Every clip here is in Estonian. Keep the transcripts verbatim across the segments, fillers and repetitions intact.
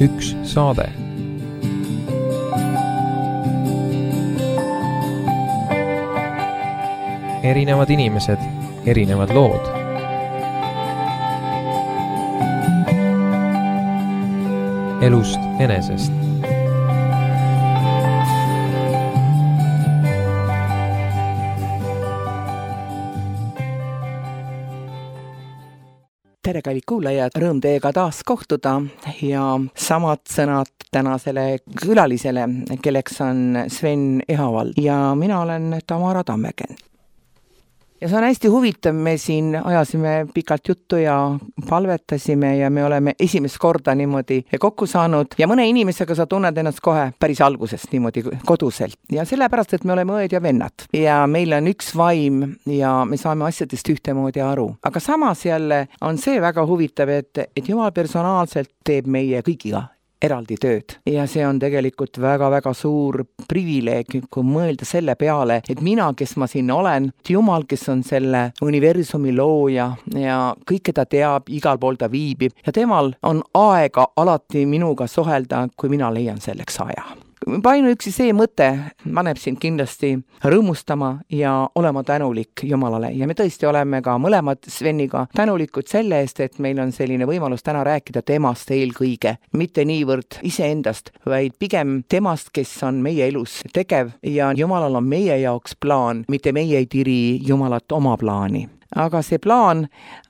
üks saade. Erinevad inimesed, erinevad lood. Elust enesest. Tere, kallid kuulajad, rõõm teiega taas kohtuda ja samad sõnad tänasele külalisele, kelleks on Sven Ehavald ja mina olen Tamara Tammegen. Ja see on hästi huvitav, me siin ajasime pikalt juttu ja palvetasime ja me oleme esimest korda niimoodi kokku saanud ja mõne inimesega sa tunned ennast kohe päris algusest niimoodi koduselt. Ja sellepärast, et me oleme õed ja vennad ja meil on üks vaim ja me saame asjadest ühtemoodi aru. Aga samas jälle on see väga huvitav, et, et Jumal personaalselt teeb meie kõigiga eraldi tööd. Ja see on tegelikult väga-väga suur privileeg, kui mõelda selle peale, et mina, kes ma siin olen, Jumal, kes on selle universumi looja ja kõike ta teab, igal pool ta viibib ja temal on aega alati minuga suhelda, kui mina leian selleks aja. Ainuüksi see mõte paneb sind kindlasti rõõmustama ja olema tänulik Jumalale. Ja me tõesti oleme ka mõlemad Sveniga tänulikud selle eest, et meil on selline võimalus täna rääkida temast eelkõige. Mitte niivõrd iseendast, vaid pigem temast, kes on meie elus tegev ja Jumalal on meie jaoks plaan, mitte meie ei tiri Jumalat oma plaani. Aga see plaan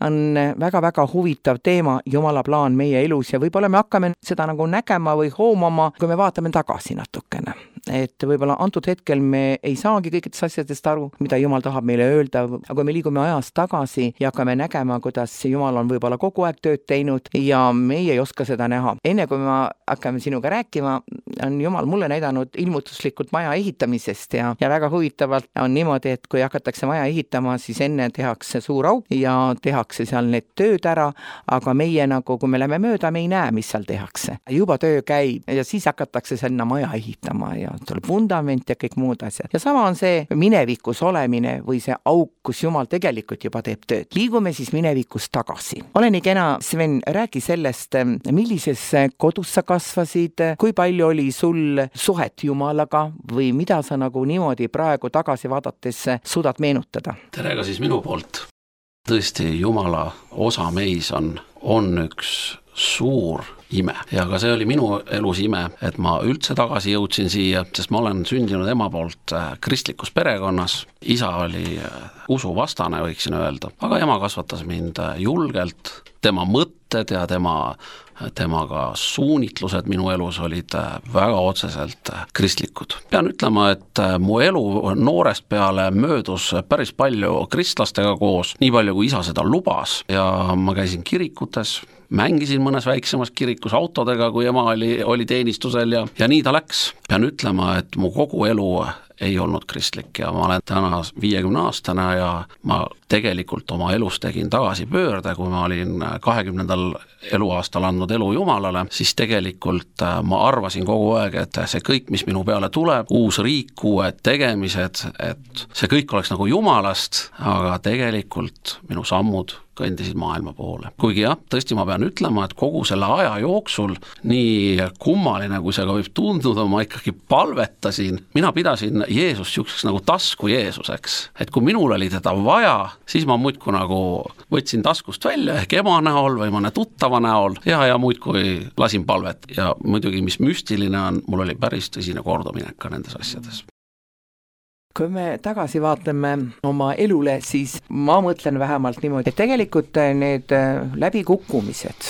on väga-väga huvitav teema, Jumala plaan meie elus ja võib-olla me hakkame seda nagu nägema või hoomama, kui me vaatame tagasi natukene. Et võib-olla antud hetkel me ei saagi kõikidest asjadest aru, mida Jumal tahab meile öelda, aga kui me liigume ajas tagasi ja hakkame nägema, kuidas Jumal on võib-olla kogu aeg tööd teinud ja meie ei oska seda näha. Enne kui ma hakkame sinuga rääkima, on Jumal mulle näidanud ilmutuslikult maja ehitamisest ja, ja väga huvitavalt on niimoodi, et kui hakatakse maja ehitama, siis enne tehakse suur auk ja tehakse seal need tööd ära, aga meie nagu, kui me läheme mööda, me ei näe, mis seal tehakse. Juba töö käib ja siis hakatakse sinna maja ehitama ja tuleb vundament ja kõik muud asjad. Ja sama on see minevikus olemine või see auk, kus Jumal tegelikult juba teeb tööd. Liigume siis minevikus tagasi. Ole nii kena, Sven, räägi sellest, millises kodus sa kasvasid, kui palju oli sul suhet Jumalaga või mida sa nagu niimoodi praegu tagasi vaadates suudad meenutada? Tere ka siis minu poolt. Tõesti, Jumala osa meis on, on üks suur ime. Ja ka see oli minu elus ime, et ma üldse tagasi jõudsin siia, sest ma olen sündinud ema poolt kristlikus perekonnas. Isa oli usuvastane, võiksin öelda, aga ema kasvatas mind julgelt. Tema mõtted ja tema, temaga suunitlused minu elus olid väga otseselt kristlikud. Pean ütlema, et mu elu noorest peale möödus päris palju kristlastega koos, nii palju kui isa seda lubas ja ma käisin kirikutes, mängisin mõnes väiksemas kirikus autodega, kui ema oli, oli teenistusel ja, ja nii ta läks. Pean ütlema, et mu kogu elu ei olnud kristlik ja ma olen täna viiekümne aastane ja ma tegelikult oma elus tegin tagasi pöörde, kui ma olin kahekümnendal eluaastal andnud elu Jumalale, siis tegelikult ma arvasin kogu aeg, et see kõik, mis minu peale tuleb, uus riik, uued tegemised, et see kõik oleks nagu Jumalast, aga tegelikult minu sammud kõndisid maailma poole. Kuigi jah, tõesti ma pean ütlema, et kogu selle aja jooksul, nii kummaline kui see ka võib tunduda, ma ikkagi palvetasin. Mina pidasin Jeesust siukseks nagu tasku Jeesuseks. Et kui minul oli teda vaja, siis ma muidku nagu võtsin taskust välja ehk ema näol või mõne tuttava näol ja, ja muidkui lasin palvet. Ja muidugi, mis müstiline on, mul oli päris tõsine korduminek ka nendes asjades. Kui me tagasi vaatame oma elule, siis ma mõtlen vähemalt niimoodi, et tegelikult need läbikukkumised,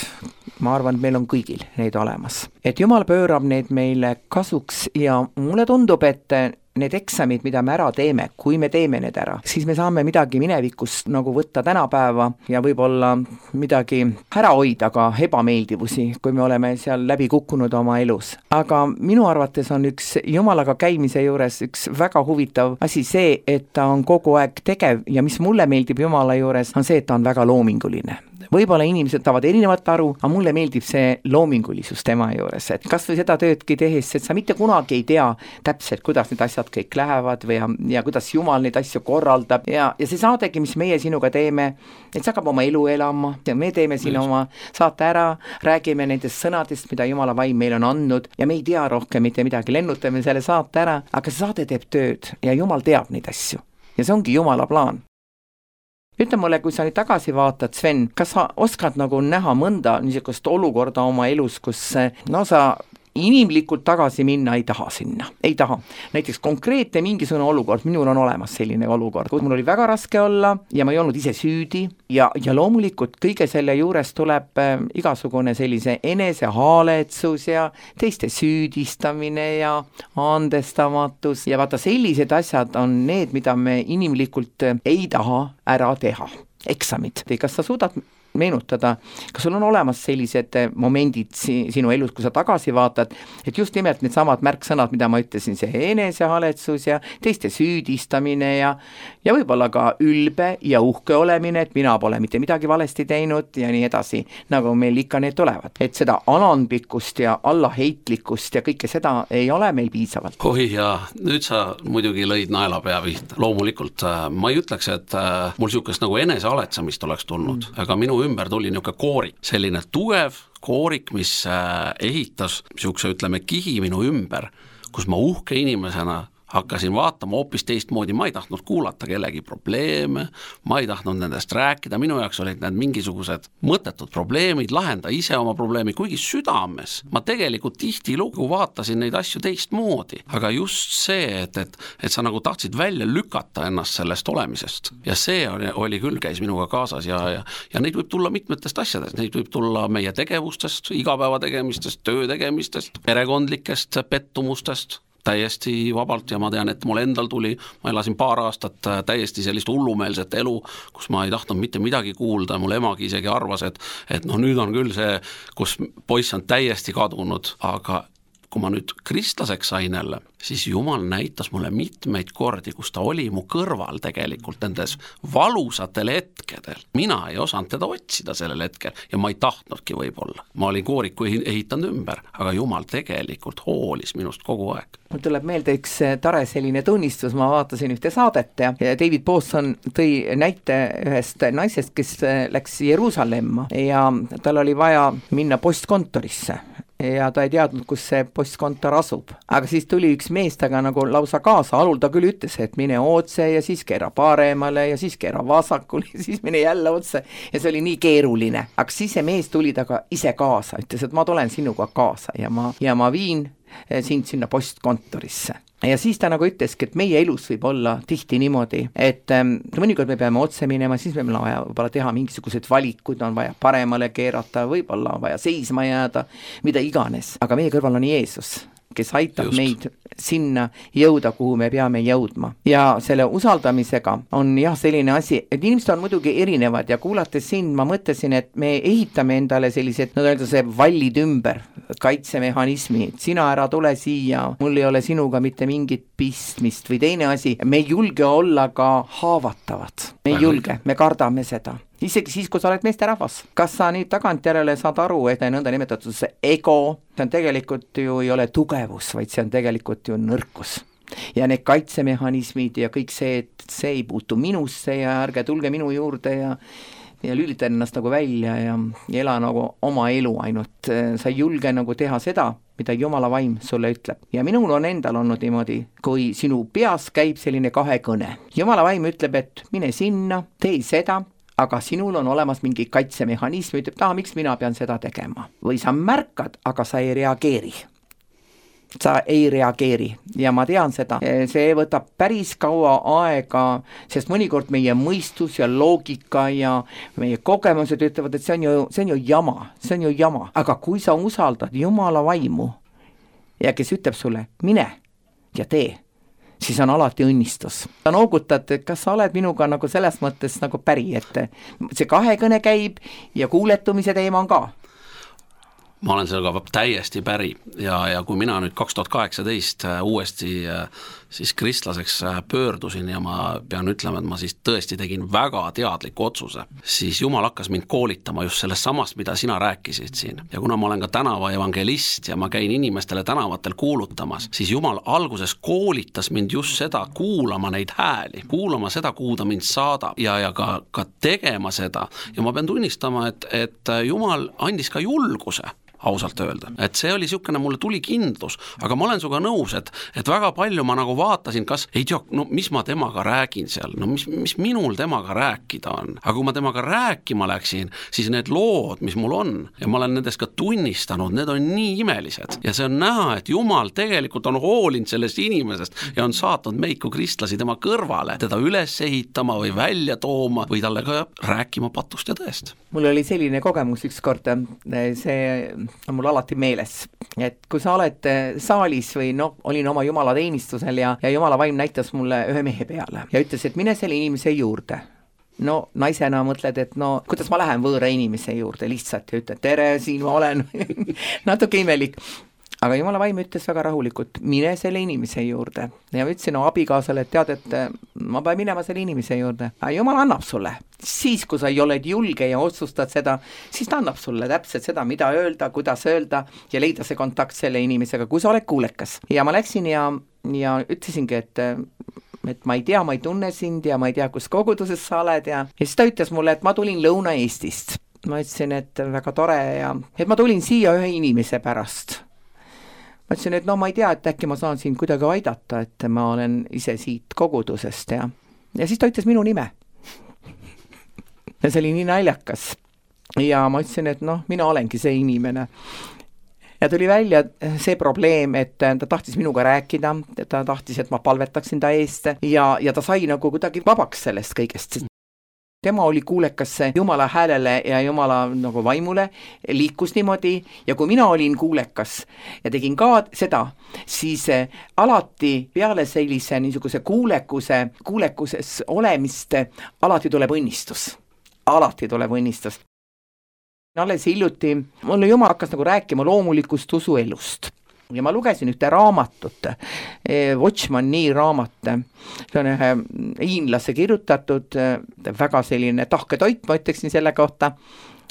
ma arvan, et meil on kõigil neid olemas. Et Jumal pöörab need meile kasuks ja mulle tundub, et need eksamid, mida me ära teeme, kui me teeme need ära, siis me saame midagi minevikust nagu võtta tänapäeva ja võib-olla midagi ära hoida ka ebameeldivusi, kui me oleme seal läbi kukkunud oma elus. Aga minu arvates on üks Jumalaga käimise juures üks väga huvitav asi see, et ta on kogu aeg tegev ja mis mulle meeldib Jumala juures, on see, et ta on väga loominguline. võib-olla inimesed saavad erinevalt aru, aga mulle meeldib see loomingulisus tema juures, et kas või seda töödki tehes, et sa mitte kunagi ei tea täpselt, kuidas need asjad kõik lähevad või ja, ja kuidas Jumal neid asju korraldab ja, ja see saadegi, mis meie sinuga teeme, et sa hakkab oma elu elama ja me teeme siin Just. oma saate ära, räägime nendest sõnadest, mida Jumala vaim meile on andnud ja me ei tea rohkem mitte midagi, lennutame selle saate ära, aga see saade teeb tööd ja Jumal teab neid asju ja see ongi Jumala plaan. Ütle mulle, kui sa nüüd tagasi vaatad, Sven, kas sa oskad nagu näha mõnda niisugust olukorda oma elus, kus no sa inimlikult tagasi minna ei taha sinna, ei taha. Näiteks konkreetne mingisugune olukord, minul on olemas selline olukord, kus mul oli väga raske olla ja ma ei olnud ise süüdi ja, ja loomulikult kõige selle juures tuleb äh, igasugune sellise enesehaletsus ja teiste süüdistamine ja andestamatus ja vaata sellised asjad on need, mida me inimlikult ei taha ära teha. Eksamid, kas sa suudad meenutada, kas sul on olemas sellised momendid sinu elus, kui sa tagasi vaatad, et just nimelt need samad märksõnad, mida ma ütlesin, see enesehaletsus ja teiste süüdistamine ja, ja võib-olla ka ülbe ja uhke olemine, et mina pole mitte midagi valesti teinud ja nii edasi, nagu meil ikka need tulevad. Et seda alandlikkust ja allaheitlikkust ja kõike seda ei ole meil piisavalt. Oi ja nüüd sa muidugi lõid naela pea pihta. Loomulikult ma ei ütleks, et mul siukest nagu enesehaletsamist oleks tulnud, mm. aga minu ümber tuli niisugune koorik, selline tugev koorik, mis ehitas niisuguse, ütleme, kihi minu ümber, kus ma uhke inimesena hakkasin vaatama hoopis teistmoodi, ma ei tahtnud kuulata kellegi probleeme, ma ei tahtnud nendest rääkida, minu jaoks olid need mingisugused mõttetud probleemid, lahenda ise oma probleemi, kuigi südames ma tegelikult tihti lugu vaatasin neid asju teistmoodi, aga just see, et, et, et sa nagu tahtsid välja lükata ennast sellest olemisest ja see oli, oli küll, käis minuga kaasas ja, ja, ja neid võib tulla mitmetest asjadest, neid võib tulla meie tegevustest, igapäeva tegemistest, töö tegemistest, perekondlikest pettumustest, täiesti vabalt ja ma tean, et mul endal tuli, ma elasin paar aastat täiesti sellist hullumeelset elu, kus ma ei tahtnud mitte midagi kuulda, mul emagi isegi arvas, et, et no nüüd on küll see, kus poiss on täiesti kadunud, aga kui ma nüüd kristlaseks sain jälle, siis Jumal näitas mulle mitmeid kordi, kus ta oli mu kõrval tegelikult nendes valusatel hetkedel. Mina ei osanud teda otsida sellel hetkel ja ma ei tahtnudki võib-olla. Ma olin kooriku ehitanud ümber, aga Jumal tegelikult hoolis minust kogu aeg. Mul tuleb meelde üks tare selline tunnistus, ma vaatasin ühte saadet ja David Bosson tõi näite ühest naisest, kes läks Jeruusalemma ja tal oli vaja minna postkontorisse ja ta ei teadnud, kus see postkontor asub. Aga siis tuli üks mees taga nagu lausa kaasa, alul ta küll ütles, et mine otse ja siis keera paremale ja siis keera vasakule ja siis mine jälle otse ja see oli nii keeruline. Aga siis see mees tuli taga ise kaasa, ütles, et ma tulen sinuga kaasa ja ma, ja ma viin sind sinna postkontorisse. Ja siis ta nagu ütleski, et meie elus võib olla tihti niimoodi, et ähm, mõnikord me peame otse minema, siis me on vaja võib-olla teha mingisugused valikud, on vaja paremale keerata, võib-olla on vaja seisma jääda, mida iganes. Aga meie kõrval on Jeesus, kes aitab Just. meid sinna jõuda, kuhu me peame jõudma. Ja selle usaldamisega on jah selline asi, et inimesed on muidugi erinevad ja kuulates sind ma mõtlesin, et me ehitame endale sellised, no öelda see vallid ümber, kaitsemehhanismi, et sina ära tule siia, mul ei ole sinuga mitte mingit pistmist või teine asi, me ei julge olla ka haavatavad, me ei julge, me kardame seda. Isegi siis, kui sa oled meesterahvas. Kas sa nüüd tagantjärele saad aru, et nõnda nimetatud see ego, see on tegelikult ju ei ole tugevus, vaid see on tegelikult ju nõrkus. Ja need kaitsemehhanismid ja kõik see, et see ei puutu minusse ja ärge tulge minu juurde ja ja lülita ennast nagu välja ja, ja ela nagu oma elu ainult. Sa ei julge nagu teha seda, mida Jumala vaim sulle ütleb. Ja minul on endal olnud niimoodi, kui sinu peas käib selline kahekõne. Jumala vaim ütleb, et mine sinna, tee seda, aga sinul on olemas mingi kaitsemehhanism, ütleb, taha, miks mina pean seda tegema. Või sa märkad, aga sa ei reageeri. Sa ei reageeri ja ma tean seda, see võtab päris kaua aega, sest mõnikord meie mõistus ja loogika ja meie kogemused ütlevad, et see on ju, see on ju jama, see on ju jama. Aga kui sa usaldad Jumala vaimu ja kes ütleb sulle, mine ja tee, siis on alati õnnistus. Sa noogutad, et kas sa oled minuga nagu selles mõttes nagu päri, et see kahekõne käib ja kuuletumise teema on ka. Ma olen sellega täiesti päri ja, ja kui mina nüüd kaks tuhat kaheksateist uuesti siis kristlaseks pöördusin ja ma pean ütlema, et ma siis tõesti tegin väga teadliku otsuse, siis Jumal hakkas mind koolitama just sellest samast, mida sina rääkisid siin. Ja kuna ma olen ka tänava evangelist ja ma käin inimestele tänavatel kuulutamas, siis Jumal alguses koolitas mind just seda, kuulama neid hääli, kuulama seda, kuhu ta mind saadab ja, ja ka, ka tegema seda. Ja ma pean tunnistama, et, et Jumal andis ka julguse, ausalt öelda. Et see oli siukene, mulle tuli kindlus, aga ma olen suga nõus, et, et väga palju ma nagu vaatasin, kas ei tea, no mis ma temaga räägin seal, no mis, mis minul temaga rääkida on. Aga kui ma temaga rääkima läksin, siis need lood, mis mul on, ja ma olen nendest ka tunnistanud, need on nii imelised. Ja see on näha, et Jumal tegelikult on hoolinud sellest inimesest ja on saatnud meid kui kristlasi tema kõrvale, teda üles ehitama või välja tooma või talle ka rääkima patust ja tõest. Mul oli selline kogemus üks kord, see on mul alati meeles, et kui sa oled saalis või no, olin oma Jumala teenistusel ja, ja Jumala vaim näitas mulle ühe mehe peale ja ütles, et mine selle inimese juurde. No naisena mõtled, et no kuidas ma lähen võõra inimese juurde lihtsalt ja ütled, tere, siin ma olen natuke imelik. Aga Jumala vaim ütles väga rahulikult, mine selle inimese juurde. Ja ma ütlesin no, abikaasale, et tead, et ma pean minema selle inimese juurde. Aga Jumal annab sulle. Siis, kui sa ei oled julge ja otsustad seda, siis ta annab sulle täpselt seda, mida öelda, kuidas öelda ja leida see kontakt selle inimesega, kui sa oled kuulekas. Ja ma läksin ja, ja ütlesingi, et et ma ei tea, ma ei tunne sind ja ma ei tea, kus koguduses sa oled ja, ja siis ta ütles mulle, et ma tulin Lõuna-Eestist. Ma ütlesin, et väga tore ja et ma tulin siia ühe inimese pärast. Ma ütlesin, et no ma ei tea, et äkki ma saan siin kuidagi aidata, et ma olen ise siit kogudusest ja, ja siis ta ütles minu nime. Ja see oli nii naljakas. Ja ma ütlesin, et noh, mina olengi see inimene. Ja tuli välja see probleem, et ta tahtis minuga rääkida, ta tahtis, et ma palvetaksin ta eest ja, ja ta sai nagu kuidagi vabaks sellest kõigest. Tema oli kuulekas Jumala häälele ja Jumala nagu vaimule, liikus niimoodi ja kui mina olin kuulekas ja tegin ka seda, siis alati peale sellise niisuguse kuulekuse, kuulekuses olemist alati tuleb õnnistus. Alati tuleb õnnistus. Alles hiljuti mulle Jumal hakkas nagu rääkima loomulikust usuelust. Ja ma lugesin ühte raamatut, Watchman Nee raamat, see on ühe hiinlase kirjutatud, väga selline tahke toit, ma ütleksin selle kohta,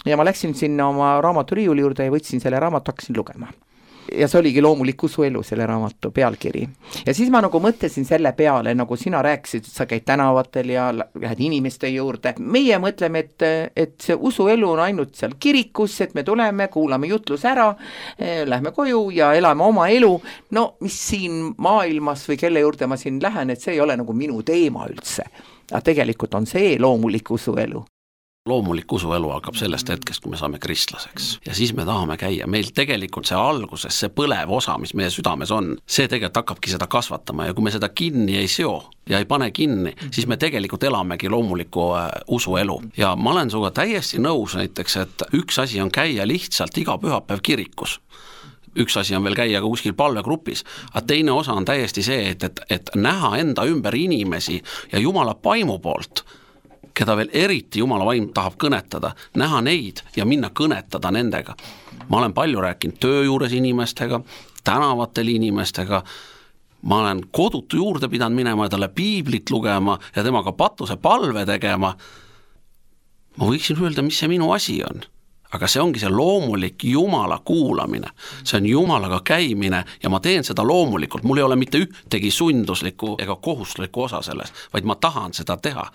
ja ma läksin sinna oma raamaturiiuli juurde ja võtsin selle raamatu, hakkasin lugema. Ja see oligi loomulik usuelu selle raamatu pealkiri. Ja siis ma nagu mõtlesin selle peale, nagu sina rääkisid, et sa käid tänavatel ja lähed inimeste juurde. Meie mõtleme, et, et see usuelu on ainult seal kirikus, et me tuleme, kuulame jutlus ära, lähme koju ja elame oma elu. No mis siin maailmas või kelle juurde ma siin lähen, et see ei ole nagu minu teema üldse. Aga tegelikult on see loomulik usuelu. Loomulik usuelu hakkab sellest hetkest, kui me saame kristlaseks. Ja siis me tahame käia. Meil tegelikult see alguses, see põlev osa, mis meie südames on, see tegelikult hakkabki seda kasvatama ja kui me seda kinni ei seo ja ei pane kinni, siis me tegelikult elamegi loomuliku usuelu. Ja ma olen suga täiesti nõus näiteks, et üks asi on käia lihtsalt iga pühapäev kirikus. Üks asi on veel käia ka kuskil palvegrupis, aga teine osa on täiesti see, et, et, et näha enda ümber inimesi ja Jumala paimu poolt, keda veel eriti Jumala vaim tahab kõnetada, näha neid ja minna kõnetada nendega. Ma olen palju rääkinud töö juures inimestega, tänavatel inimestega, ma olen kodutu juurde pidanud minema ja talle piiblit lugema ja temaga patuse palve tegema. Ma võiksin öelda, mis see minu asi on. Aga see ongi see loomulik Jumala kuulamine. See on Jumalaga käimine ja ma teen seda loomulikult. Mul ei ole mitte ühtegi sunduslikku ega kohustuslikku osa selles, vaid ma tahan seda teha.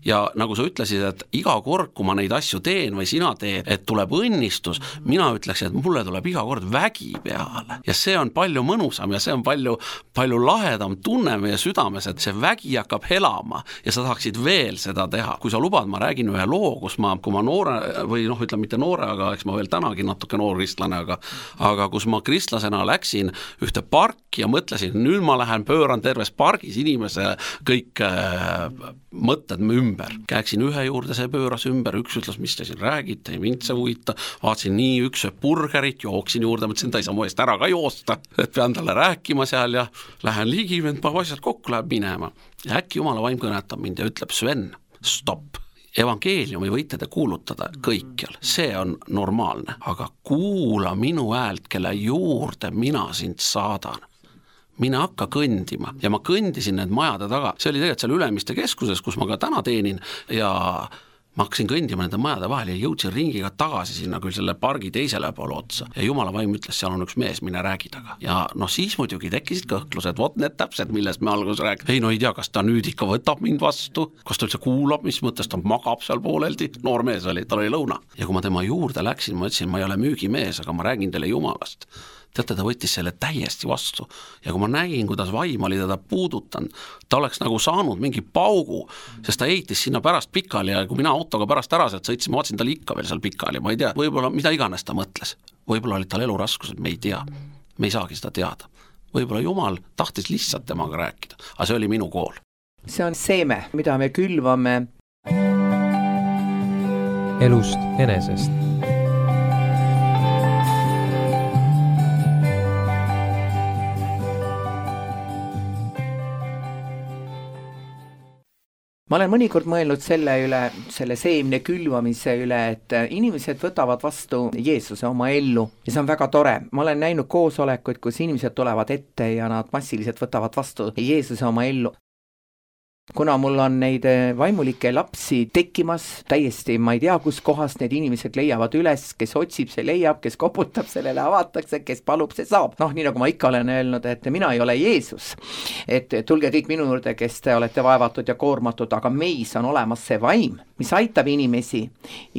Ja nagu sa ütlesid, et iga kord, kui ma neid asju teen või sina teed, et tuleb õnnistus, mina ütleksin, et mulle tuleb iga kord vägi peale. Ja see on palju mõnusam ja see on palju, palju lahedam tunne meie südames, et see vägi hakkab helama ja sa tahaksid veel seda teha. Kui sa lubad, ma räägin ühe loo, kus ma, kui ma noore või noh, ütleme mitte noore, aga eks ma veel tänagi natuke noor kristlane, aga, aga kus ma kristlasena läksin ühte parki ja mõtlesin, nüüd ma lähen pööran terves pargis inimese kõik äh, mõtted ümber. Käeksin ühe juurde, see pööras ümber, üks ütles, mis te siin räägite, ei mind see huvita, vaatasin nii üks burgerit, jooksin juurde, mõtlesin, ta ei saa mu eest ära ka joosta, et pean talle rääkima seal ja lähen ligi, vend paar asjad kokku läheb minema. Ja äkki Jumala vaim kõnetab mind ja ütleb, Sven, stopp. Evangeeliumi võite te kuulutada kõikjal, see on normaalne, aga kuula minu häält, kelle juurde mina sind saadan. mine hakka kõndima ja ma kõndisin need majade taga, see oli tegelikult seal Ülemiste keskuses, kus ma ka täna teenin ja ma hakkasin kõndima nende majade vahel ja jõudsin ringiga tagasi sinna küll selle pargi teisele poole otsa ja Jumala vaim ütles, seal on üks mees, mine räägi taga. Ja no siis muidugi tekkisid kõhklused, vot need täpselt, millest me alguses räägime. Ei no ei tea, kas ta nüüd ikka võtab mind vastu, kas ta üldse kuulab, mis mõttes ta magab seal pooleldi, noor mees oli, tal oli lõuna. Ja kui ma tema juurde läksin, ma ütlesin, ma ei ole müügimees, aga ma räägin teile Jumalast. Teate, ta võttis selle täiesti vastu ja kui ma nägin, kuidas vaim oli teda puudutanud, ta oleks nagu saanud mingi paugu, sest ta heitis sinna pärast pikali ja kui mina autoga pärast ära sealt sõitsin, ma vaatasin tal ikka veel seal pikali, ma ei tea, võib-olla mida iganes ta mõtles, võib-olla olid tal eluraskused, me ei tea, me ei saagi seda teada, võib-olla Jumal tahtis lihtsalt temaga rääkida, aga see oli minu kool. See on seeme, mida me külvame elust enesest. Ma olen mõnikord mõelnud selle üle, selle seemne külvamise üle, et inimesed võtavad vastu Jeesuse oma ellu ja see on väga tore. Ma olen näinud koosolekuid, kus inimesed tulevad ette ja nad massiliselt võtavad vastu Jeesuse oma ellu. Kuna mul on neid vaimulikke lapsi tekkimas, täiesti ma ei tea, kus kohast need inimesed leiavad üles, kes otsib, see leiab, kes koputab, sellele avatakse, kes palub, see saab. Noh, nii nagu ma ikka olen öelnud, et mina ei ole Jeesus. Et tulge kõik minu juurde, kes te olete vaevatud ja koormatud, aga meis on olemas see vaim, mis aitab inimesi.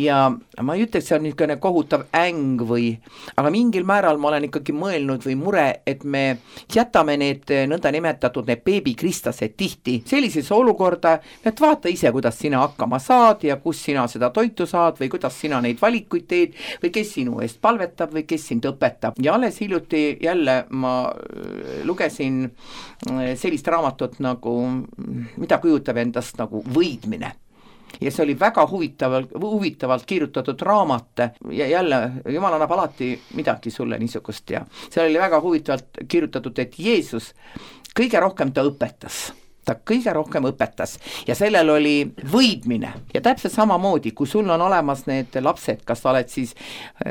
Ja ma ei ütleks, see on niisugune kohutav äng või, aga mingil määral ma olen ikkagi mõelnud või mure, et me jätame need nõnda nimetatud need beebikristlased tihti sellises olukorda, et vaata ise, kuidas sina hakkama saad ja kus sina seda toitu saad või kuidas sina neid valikuid teed või kes sinu eest palvetab või kes sind õpetab. Ja alles hiljuti jälle ma lugesin sellist raamatut nagu, mida kujutab endast nagu võidmine. Ja see oli väga huvitavalt, huvitavalt kirjutatud raamat ja jälle Jumal annab alati midagi sulle niisugust ja see oli väga huvitavalt kirjutatud, et Jeesus kõige rohkem ta õpetas. Ta kõige rohkem õpetas ja sellel oli võidmine ja täpselt samamoodi, kui sul on olemas need lapsed, kas sa oled siis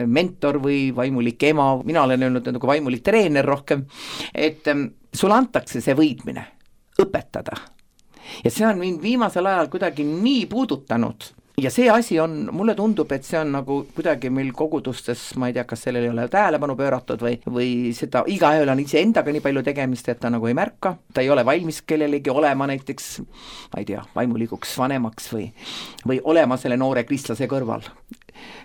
mentor või vaimulik ema, mina olen öelnud nagu vaimulik treener rohkem, et sul antakse see võidmine, õpetada. Ja see on mind viimasel ajal kuidagi nii puudutanud. Ja see asi on, mulle tundub, et see on nagu kuidagi meil kogudustes, ma ei tea, kas sellel ei ole tähelepanu pööratud või, või seda igaühel on ise endaga nii palju tegemist, et ta nagu ei märka, ta ei ole valmis kellelegi olema näiteks, ma ei tea, vaimulikuks vanemaks või, või olema selle noore kristlase kõrval.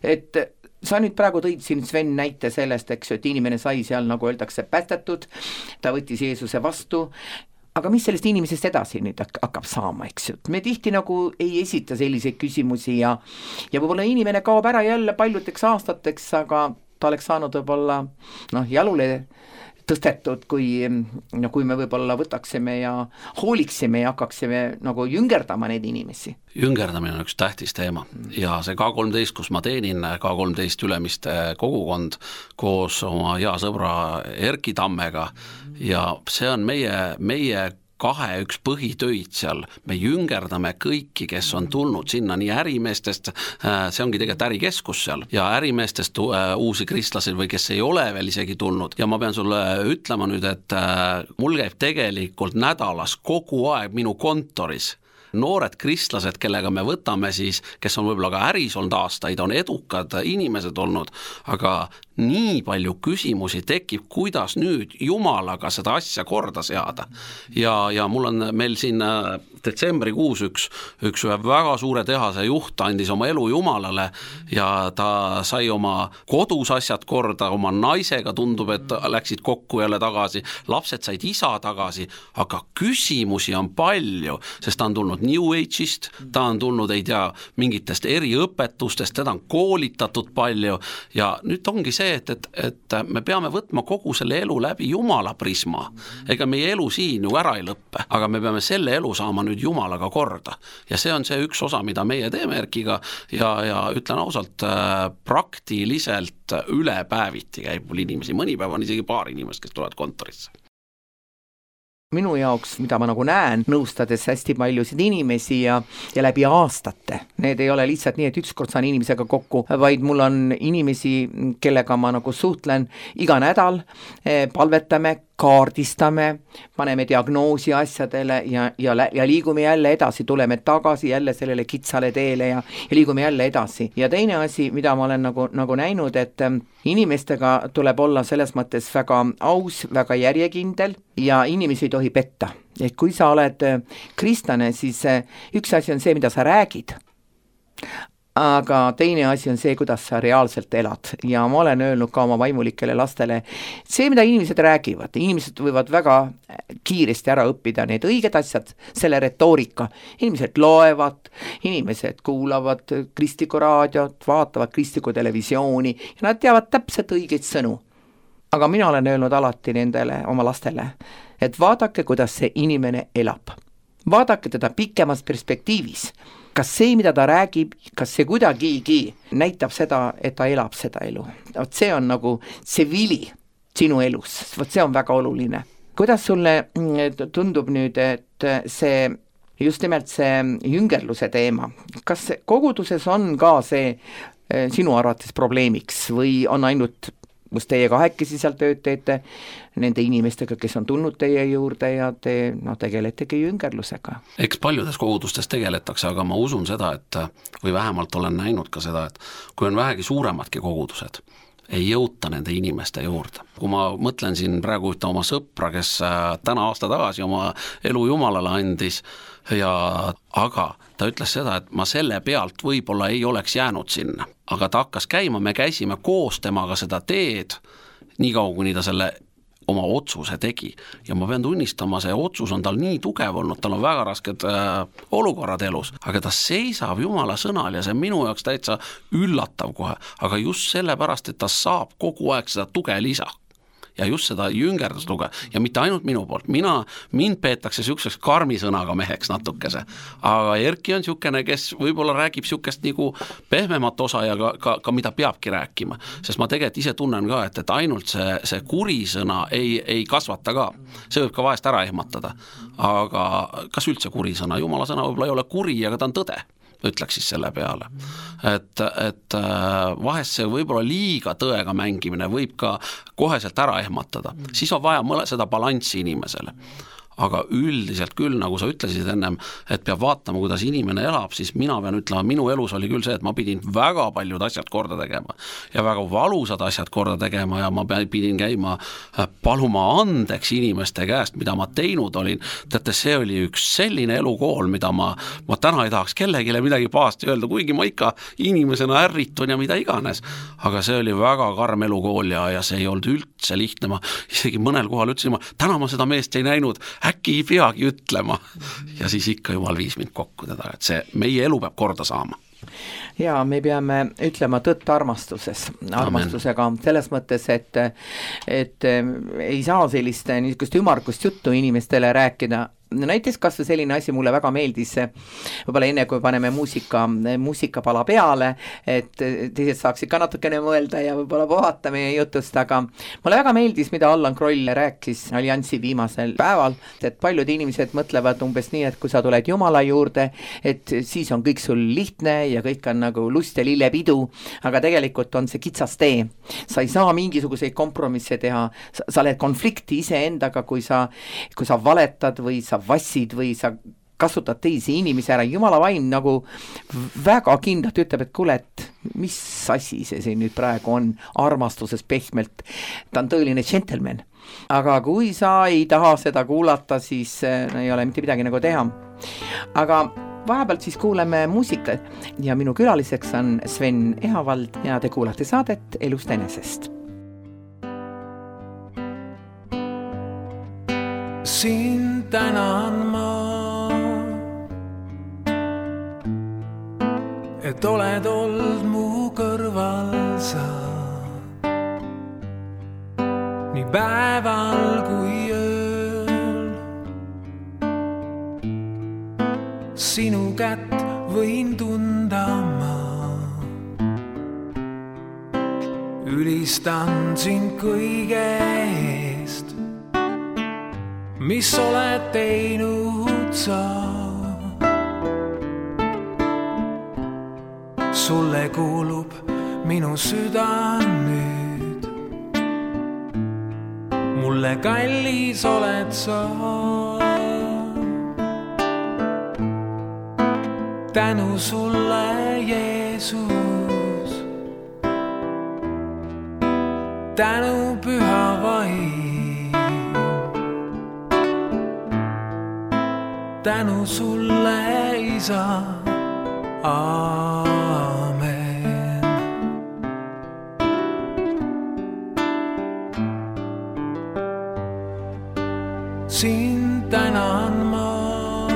Et sa nüüd praegu tõid siin Sven näite sellest, eks, et inimene sai seal, nagu öeldakse, päästetud, ta võttis Jeesuse vastu. Aga mis sellest inimesest edasi nüüd hakkab saama, eks ju? Me tihti nagu ei esita selliseid küsimusi ja, ja võib-olla inimene kaob ära jälle paljudeks aastateks, aga ta oleks saanud võib-olla noh, jalule tõstetud, kui, no, kui me võib-olla võtaksime ja hooliksime ja hakkaksime nagu jüngerdama neid inimesi. Jüngerdamine on üks tähtis teema ja see K kolmteist, kus ma teenin, K kolmteist Ülemiste kogukond koos oma hea sõbra Erki Tammega ja see on meie, meie kahe üks põhitöid seal, me jüngerdame kõiki, kes on tulnud sinna nii ärimeestest, see ongi tegelikult ärikeskus seal ja ärimeestest uusi kristlasi või kes ei ole veel isegi tulnud ja ma pean sulle ütlema nüüd, et mul käib tegelikult nädalas kogu aeg minu kontoris noored kristlased, kellega me võtame siis, kes on võib-olla ka äris olnud aastaid, on edukad inimesed olnud, aga nii palju küsimusi tekib, kuidas nüüd Jumalaga seda asja korda seada. Ja, ja mul on meil siin detsembrikuus üks, üks väga suure tehase juht andis oma elu Jumalale ja ta sai oma kodus asjad korda, oma naisega tundub, et läksid kokku jälle tagasi, lapsed said isa tagasi, aga küsimusi on palju, sest ta on tulnud New Age'ist, ta on tulnud, ei tea, mingitest eriõpetustest, teda on koolitatud palju ja nüüd ongi see, et, et, et me peame võtma kogu selle elu läbi Jumala prisma. Ega meie elu siin ju ära ei lõppe, aga me peame selle elu saama nüüd Jumalaga korda. Ja see on see üks osa, mida meie teeme Erkiga ja, ja ütlen ausalt, praktiliselt üle päeviti käib mul inimesi, mõni päev on isegi paar inimest, kes tulevad kontorisse. Minu jaoks, mida ma nagu näen, nõustades hästi paljusid inimesi ja, ja läbi aastate Need ei ole lihtsalt nii, et ükskord saan inimesega kokku, vaid mul on inimesi, kellega ma nagu suhtlen iga nädal, palvetame, kaardistame, paneme diagnoosi asjadele ja, ja, ja liigume jälle edasi, tuleme tagasi jälle sellele kitsale teele ja, ja liigume jälle edasi. Ja teine asi, mida ma olen nagu, nagu näinud, et inimestega tuleb olla selles mõttes väga aus, väga järjekindel ja inimesi ei tohi petta. Et kui sa oled kristlane, siis üks asi on see, mida sa räägid, aga teine asi on see, kuidas sa reaalselt elad. Ja ma olen öelnud ka oma vaimulikele lastele, see, mida inimesed räägivad, inimesed võivad väga kiiresti ära õppida need õiged asjad, selle retoorika. Inimesed loevad, inimesed kuulavad kristlikku raadiot, vaatavad kristlikku televisiooni ja nad teavad täpselt õigeid sõnu. Aga mina olen öelnud alati nendele oma lastele, et vaadake, kuidas see inimene elab. Vaadake teda pikemas perspektiivis. Kas see, mida ta räägib, kas see kuidagigi näitab seda, et ta elab seda elu. Vot see on nagu see vili sinu elus. Vot see on väga oluline. Kuidas sulle tundub nüüd, et see, just nimelt see jüngerluse teema, kas koguduses on ka see sinu arvates probleemiks või on ainult kus teie kahekesi seal tööd teete nende inimestega, kes on tulnud teie juurde ja te no, tegeletegi jüngerlusega? Eks paljudes kogudustes tegeletakse, aga ma usun seda, et või vähemalt olen näinud ka seda, et kui on vähegi suuremadki kogudused, ei jõuta nende inimeste juurde. Kui ma mõtlen siin praegu ühte oma sõpra, kes täna aasta tagasi oma elu Jumalale andis, ja aga ta ütles seda, et ma selle pealt võib-olla ei oleks jäänud sinna, aga ta hakkas käima, me käisime koos temaga seda teed, nii kaua, kuni ta selle oma otsuse tegi. Ja ma pean tunnistama, see otsus on tal nii tugev olnud, tal on väga rasked äh, olukorrad elus, aga ta seisab Jumala sõnal ja see minu jaoks täitsa üllatav kohe, aga just sellepärast, et ta saab kogu aeg seda tuge lisa. Ja just seda jüngerdusluge ja mitte ainult minu poolt, mina, mind peetakse siukseks karmi sõnaga meheks natukese, aga Erki on siukene, kes võib-olla räägib siukest nagu pehmemat osa ja ka, ka, ka mida peabki rääkima, sest ma tegelikult ise tunnen ka, et, et ainult see, see kuri sõna ei, ei kasvata ka, see võib ka vahest ära ehmatada, aga kas üldse kuri sõna, Jumala sõna võib-olla ei ole kuri, aga ta on tõde, ütleks siis selle peale. Et, et vahest see võib-olla liiga tõega mängimine võib ka koheselt ära ehmatada. Siis on vaja mõle seda balanssi inimesele. Aga üldiselt küll, nagu sa ütlesid ennem, et peab vaatama, kuidas inimene elab, siis mina pean ütlema, minu elus oli küll see, et ma pidin väga paljud asjad korda tegema ja väga valusad asjad korda tegema ja ma pidin käima paluma andeks inimeste käest, mida ma teinud olin. Teate, see oli üks selline elukool, mida ma, ma täna ei tahaks kellegile midagi pahasti öelda, kuigi ma ikka inimesena ärritun ja mida iganes. Aga see oli väga karm elukool ja, ja see ei olnud üldse lihtne. Ma isegi mõnel kohal ütlesin, ma, täna ma seda meest ei näinud, äkki ei peagi ütlema ja siis ikka Jumal viis mind kokku teda, et see meie elu peab korda saama. Ja me peame ütlema tõtt armastuses, armastusega Amen. Selles mõttes, et, et ei saa sellist niisugust ümargust juttu inimestele rääkida. Näiteks kas või selline asi mulle väga meeldis, võib-olla enne kui paneme muusika, muusikapala peale, et teised saaksid ka natukene mõelda ja võib-olla puhata meie jutust, aga mulle väga meeldis, mida Allan Kroll rääkis Alliansi viimasel päeval, et paljud inimesed mõtlevad umbes nii, et kui sa tuled Jumala juurde, et siis on kõik sul lihtne ja kõik on nagu lust ja lillepidu, aga tegelikult on see kitsas tee. Sa ei saa mingisuguseid kompromisse teha, sa, sa oled konflikti ise endaga, kui sa, kui sa valetad või sa vassid või sa kasutad teisi inimesi ära. Jumala vaim nagu väga kindlalt ütleb, et kuule, et mis asi see siin nüüd praegu on armastuses pehmelt. Ta on tõeline gentleman. Aga kui sa ei taha seda kuulata, siis no, ei ole mitte midagi nagu teha. Aga vahepealt siis kuuleme muusikat ja minu külaliseks on Sven Ehavald ja te kuulate saadet Elust enesest. Siin tänan ma, et oled olnud mu kõrval sa, nii päeval kui ööl. Sinu kätt võin tunda ma, ülistan sind kõige eest, mis oled teinud sa. sulle kuulub minu süda nüüd. Mulle kallis oled sa, tänu sulle Jeesus, tänu püha vaim, tänu sulle Isa, aamen. Sind tänan ma,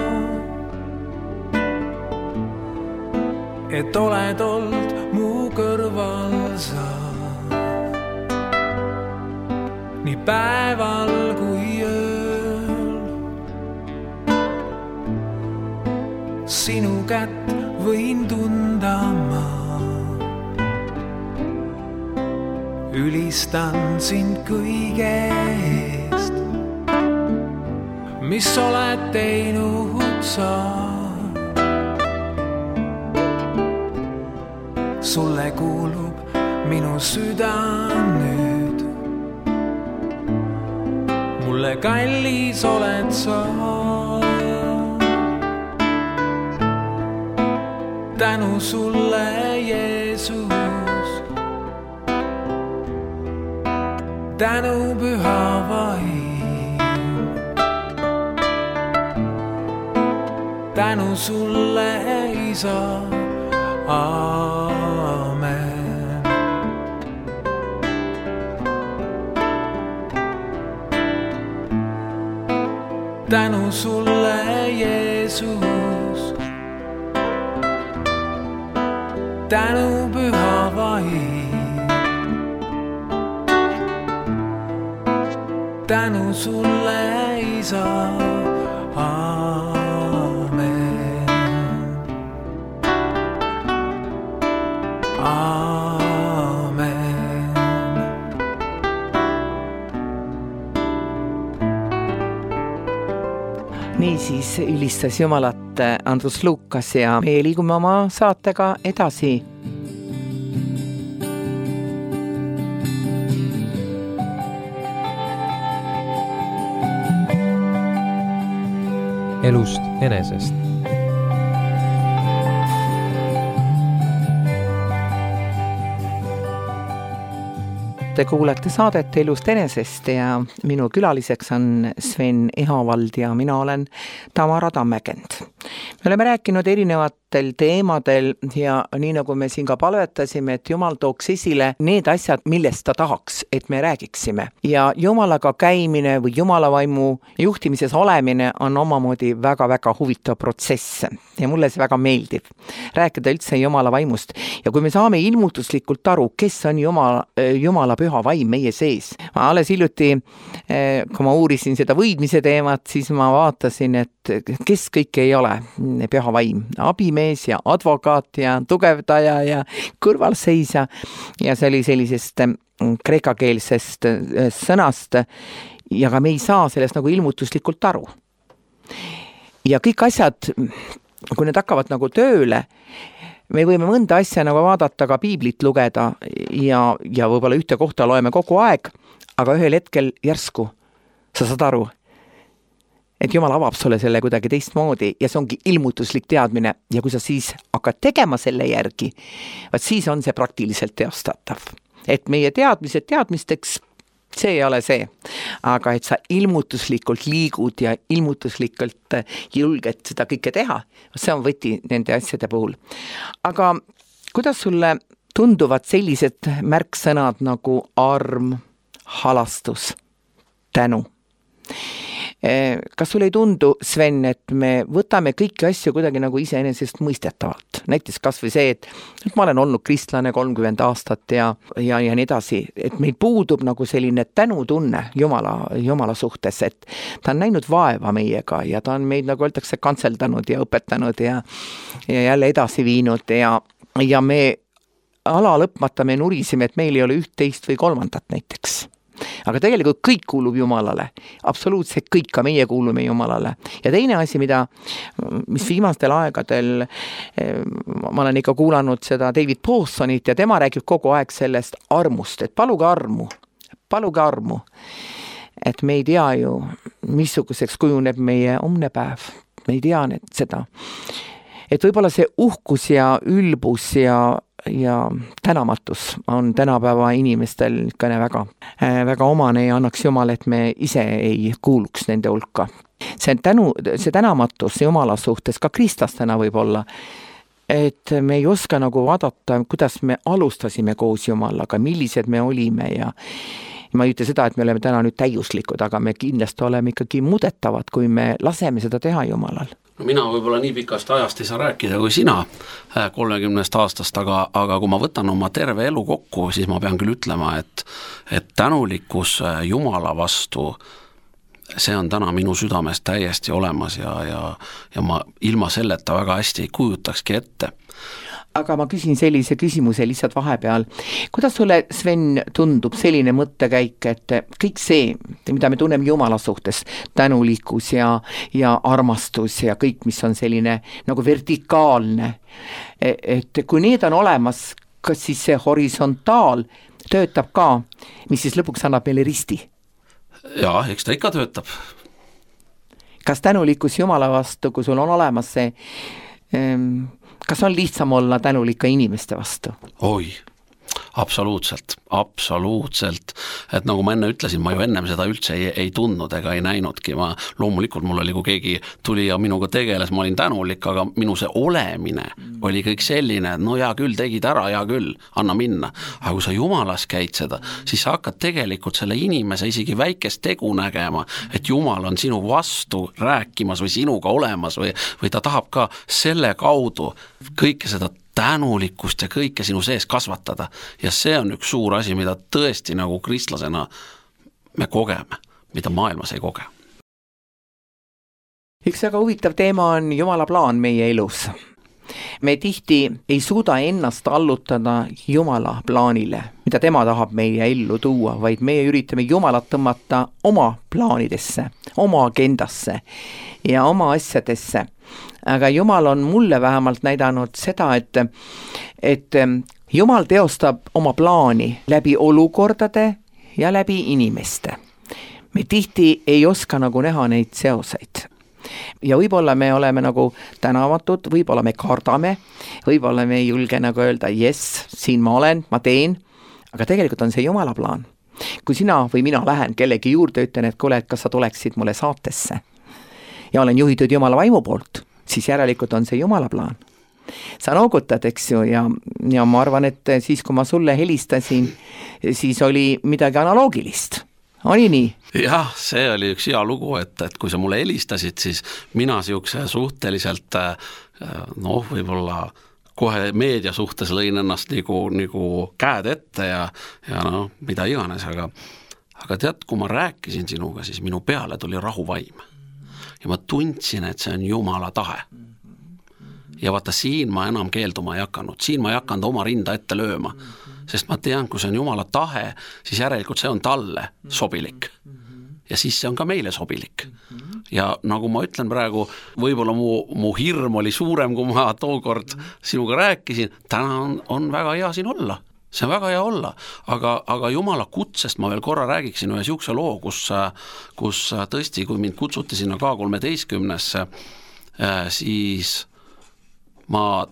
et oled olnud mu kõrval sa, nii päeval kui ööl. Sinu kätt võin tunda ma, ülistan sind kõige eest, mis oled teinud sa. Sulle kuulub minu süda nüüd, mulle kallis oled sa, tänu sulle Jeesus, tänu püha vaim, tänu sulle Isa, aamen. Tänu sulle Jeesus, tänu püha vaim, tänu sulle Isa, aamen, aamen. Niisiis ülistas Jumalat Andrus Lukas ja meie liigume oma saatega edasi. Elust enesest. Te kuulete saadet Elust enesest ja minu külaliseks on Sven Ehavald ja mina olen Tamara Tammekend. Me oleme rääkinud erinevatel teemadel ja nii nagu me siin ka palvetasime, et Jumal tooks esile need asjad, millest ta tahaks, et me räägiksime. Ja Jumalaga käimine või Jumala vaimu juhtimises olemine on omamoodi väga-väga huvitav protsess ja mulle see väga meeldib. Rääkida üldse Jumala vaimust ja kui me saame ilmutuslikult aru, kes on Jumala, Jumala püha vaim meie sees. Ma alles hiljuti, kui ma uurisin seda võidmise teemat, siis ma vaatasin, et kes kõik ei ole püha vaim. Abimees ja advokaat ja tugevdaja ja kõrvalseisja ja see oli sellisest kreekakeelsest sõnast ja ka me ei saa sellest nagu ilmutuslikult aru. Ja kõik asjad, kui need hakkavad nagu tööle, me võime mõnda asja nagu vaadata, ka piiblit lugeda ja, ja võib-olla ühte kohta loeme kogu aeg, aga ühel hetkel järsku sa saad aru, et Jumal avab sulle selle kuidagi teistmoodi ja see ongi ilmutuslik teadmine ja kui sa siis hakkad tegema selle järgi, vaat siis on see praktiliselt teostatav. Et meie teadmised teadmisteks, see ei ole see, aga et sa ilmutuslikult liigud ja ilmutuslikult julged seda kõike teha, see on võti nende asjade puhul. Aga kuidas sulle tunduvad sellised märksõnad nagu arm, halastus, tänu? Kas sulle ei tundu, Sven, et me võtame kõiki asju kuidagi nagu iseenesest mõistetavalt? Näiteks kas või see, et, et ma olen olnud kristlane kolmkümmend aastat ja, ja, ja nii edasi, et meil puudub nagu selline tänutunne Jumala, Jumala suhtes, et ta on näinud vaeva meiega ja ta on meid, nagu öeldakse, kantseldanud ja õpetanud ja, ja jälle edasi viinud ja, ja me ala lõpmata me nurisime, et meil ei ole üht, teist või kolmandat näiteks. aga tegelikult kõik kuulub Jumalale, absoluutselt kõik, ka meie kuulume Jumalale. Ja teine asi, mida, mis viimastel aegadel, ma olen ikka kuulanud seda David Pawsonit ja tema räägib kogu aeg sellest armust, et paluge armu, paluge armu, et me ei tea ju, missuguseks kujuneb meie homne päev, me ei tea need, seda. Et võib-olla see uhkus ja ülbus ja, ja tänamatus on tänapäeva inimestel ikka väga, väga omane ja annaks Jumal, et me ise ei kuuluks nende hulka. See, tänu, see tänamatus Jumala suhtes, ka kristlastena võib olla, et me ei oska nagu vaadata, kuidas me alustasime koos Jumalaga, millised me olime ja ma ei ütle seda, et me oleme täna nüüd täiuslikud, aga me kindlasti oleme ikkagi muudetavad, kui me laseme seda teha Jumalal. No mina võib-olla nii pikast ajast ei saa rääkida kui sina kolmekümnest aastast, aga, aga kui ma võtan oma terve elu kokku, siis ma pean küll ütlema, et, et tänulikkus Jumala vastu, see on täna minu südames täiesti olemas ja, ja, ja ma ilma selleta väga hästi ei kujutakski ette. Aga ma küsin sellise küsimuse lihtsalt vahepeal. Kuidas sulle, Sven, tundub selline mõttekäik, et kõik see, mida me tunneme Jumala suhtes, tänulikkus ja, ja armastus ja kõik, mis on selline nagu vertikaalne, et kui need on olemas, kas siis see horisontaal töötab ka, mis siis lõpuks annab meile risti? Jaa, eks ta ikka töötab. Kas tänulikkus Jumala vastu, kui sul on olemas see ähm, kas on lihtsam olla tänulik ka inimeste vastu? Oi, absoluutselt, absoluutselt, et nagu ma enne ütlesin, ma ju ennem seda üldse ei, ei tundnud ega ei näinudki, ma loomulikult mul oli, kui keegi tuli ja minuga tegeles, ma olin tänulik, aga minu see olemine oli kõik selline, et no hea küll, tegid ära, hea küll, anna minna, aga kui sa Jumalas käid seda, siis sa hakkad tegelikult selle inimese isegi väikest tegu nägema, et Jumal on sinu vastu rääkimas või sinuga olemas või, või ta tahab ka selle kaudu kõike seda tänulikkust ja kõike sinu sees kasvatada ja see on üks suur asi, mida tõesti nagu kristlasena me kogeme, mida maailmas ei koge. Üks väga huvitav teema on Jumala plaan meie elus. Me tihti ei suuda ennast allutada Jumala plaanile, mida tema tahab meie ellu tuua, vaid meie üritame Jumalat tõmmata oma plaanidesse, oma agendasse ja oma asjadesse. Aga Jumal on mulle vähemalt näidanud seda, et, et Jumal teostab oma plaani läbi olukordade ja läbi inimeste. Me tihti ei oska nagu näha neid seoseid. Ja võib-olla me oleme nagu tänavatud, võib-olla me kardame, võib-olla me ei julge nagu öelda, yes, siin ma olen, ma teen, aga tegelikult on see Jumala plaan. Kui sina või mina lähen kellegi juurde, ütlen, et kuule, et kas sa tuleksid mulle saatesse ja olen juhitud Jumala vaimu poolt, siis järelikult on see Jumala plaan. Sa noogutad, eks ju, ja, ja ma arvan, et siis, kui ma sulle helistasin, siis oli midagi analoogilist. Oli nii? Jah, see oli üks hea lugu, et, et kui sa mulle helistasid, siis mina siukse suhteliselt, noh, võib-olla kohe meedia suhtes lõin ennast nagu, nagu käed ette ja, ja noh, mida iganes, aga, aga tead, kui ma rääkisin sinuga, siis minu peale tuli rahuvaim. Ja ma tundsin, et see on Jumala tahe. Ja vaata, siin ma enam keelduma ei hakanud, siin ma ei hakanud oma rinda ette lööma, sest ma tean, kui see on Jumala tahe, siis järelikult see on talle sobilik. Ja siis see on ka meile sobilik. Ja nagu ma ütlen praegu, võib-olla mu, mu hirm oli suurem, kui ma tookord sinuga rääkisin, täna on, on väga hea siin olla. See on väga hea olla, aga, aga Jumala kutsest ma veel korra räägiksin ühe siukse loo, kus, kus tõesti, kui mind kutsuti sinna K kolmeteistkümnesse, siis ma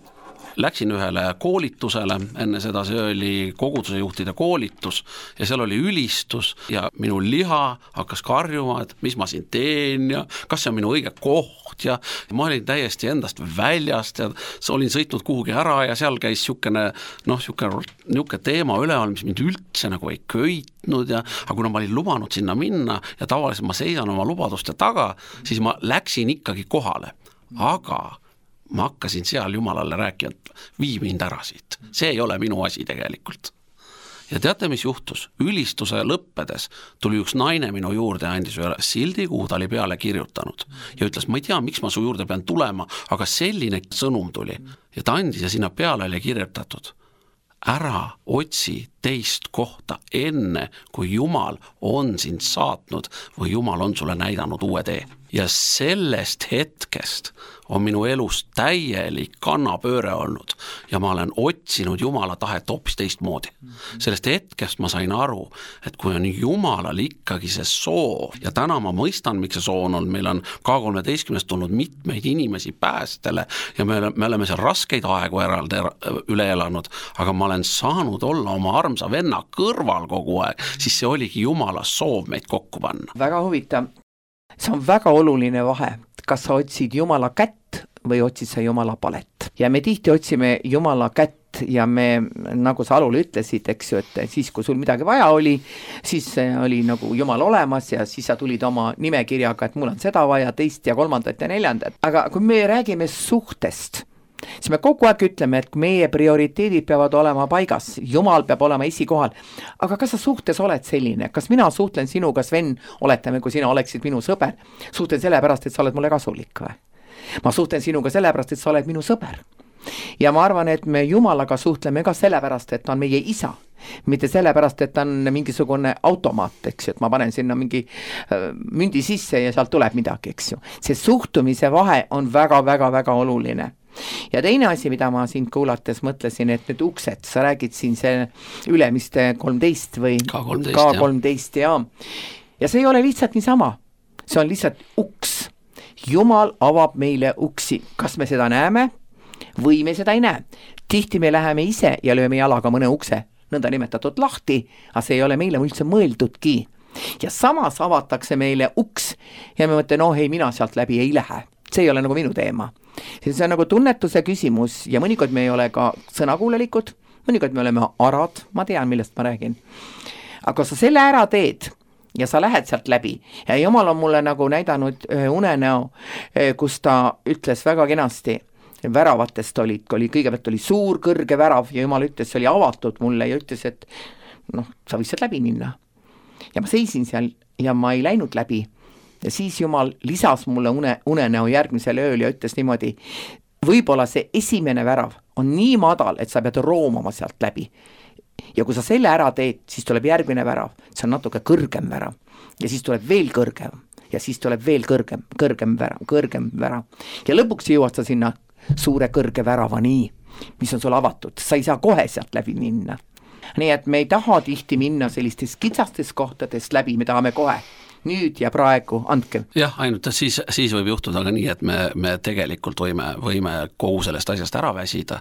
läksin ühele koolitusele, enne seda see oli koguduse juhtide koolitus ja seal oli ülistus ja minu liha hakkas karjuma, et mis ma siin teen ja kas see on minu õige koht ja ma olin täiesti endast väljast ja olin sõitnud kuhugi ära ja seal käis siukene, noh, siukene, niuke teema üleval, mis mind üldse nagu ei köitnud ja aga kuna ma olin lubanud sinna minna ja tavaliselt ma seisan oma lubaduste taga, siis ma läksin ikkagi kohale, aga ma hakkasin seal Jumalale rääkima, et vii mind ära siit. See ei ole minu asi tegelikult. Ja teate, mis juhtus? Ülistuse lõppedes tuli üks naine minu juurde ja andis üle sildi, kuhu ta oli peale kirjutanud. Ja ütles, ma ei tea, miks ma su juurde pean tulema, aga selline sõnum tuli. Ja ta andis ja sinna peale oli kirjutatud. Ära otsi teist kohta enne, kui Jumal on sind saatnud või Jumal on sulle näidanud uue tee. Ja sellest hetkest on minu elus täielik kannapööre olnud ja ma olen otsinud Jumala tahet hoopis teistmoodi. Sellest hetkest ma sain aru, et kui on Jumalal ikkagi see soov ja täna ma mõistan, miks see soov on olnud, meil on K kolmeteistkümnest tulnud mitmeid inimesi päästele ja me, me oleme seal raskeid aegu eraldi üle elanud, aga ma olen saanud olla oma armsa venna kõrval kogu aeg, siis see oligi Jumala soov meid kokku panna. Väga huvitav. See on väga oluline vahe, kas sa otsid Jumala kätt või otsid sa Jumala palet. Ja me tihti otsime Jumala kätt ja me, nagu sa alul ütlesid, eks ju, et siis, kui sul midagi vaja oli, siis oli nagu Jumal olemas ja siis sa tulid oma nimekirjaga, et mul on seda vaja, teist ja kolmandat ja neljandat. Aga kui me räägime suhtest, siis me kogu aeg ütleme, et meie prioriteedid peavad olema paigas, Jumal peab olema esikohal. Aga kas sa suhtes oled selline? Kas mina suhtlen sinuga, Sven, oletame, kui sina oleksid minu sõber? Suhtlen sellepärast, et sa oled mulle kasulik või? Ma suhtlen sinuga sellepärast, et sa oled minu sõber. Ja ma arvan, et me Jumalaga suhtleme ka sellepärast, et ta on meie isa. Mitte sellepärast, et ta on mingisugune automaat, eks ju, et ma panen sinna mingi äh, mündi sisse ja sealt tuleb midagi, eks ju. See suhtumise vahe on väga-väga-väga oluline. Ja teine asi, mida ma siin kuulates mõtlesin, et need uksed, sa räägid siin see ülemiste kolmteist või K kolmteist, K kolmteist ja. ja see ei ole lihtsalt niisama, see on lihtsalt uks. Jumal avab meile uksi, kas me seda näeme või me seda ei näe. Tihti me läheme ise ja lööme jalaga mõne ukse, nõnda nimetatud lahti, aga see ei ole meile üldse mõeldudki. Ja samas avatakse meile uks ja me mõtleme, no ei, mina sealt läbi ei lähe. See ei ole nagu minu teema. See on nagu tunnetuse küsimus ja mõnikord me ei ole ka sõnakuulelikud, mõnikord me oleme arad, ma tean, millest ma räägin. Aga sa selle ära teed ja sa lähed sealt läbi ja Jumal on mulle nagu näidanud unenäo, kus ta ütles väga kenasti, väravatest olid, oli, kõigepealt oli suur kõrge värav ja Jumal ütles, see oli avatud mulle ja ütles, et noh, sa võid sealt läbi minna. Ja ma seisin seal ja ma ei läinud läbi. Ja siis Jumal lisas mulle une, unenäo järgmisel ööl ja ütles niimoodi, võib-olla see esimene värav on nii madal, et sa pead roomama sealt läbi. Ja kui sa selle ära teed, siis tuleb järgmine värav, see on natuke kõrgem värav ja siis tuleb veel kõrgem ja siis tuleb veel kõrgem, kõrgem värav, kõrgem värav. Ja lõpuks jõuad sa sinna suure kõrge värava nii, mis on sul avatud, sa ei saa kohe sealt läbi minna. Nii et me ei taha tihti minna sellistest kitsastest kohtadest läbi, me tahame kohe nüüd ja praegu, andke. Jah, ainult siis, siis võib juhtuda aga nii, et me, me tegelikult võime, võime kogu sellest asjast ära väsida.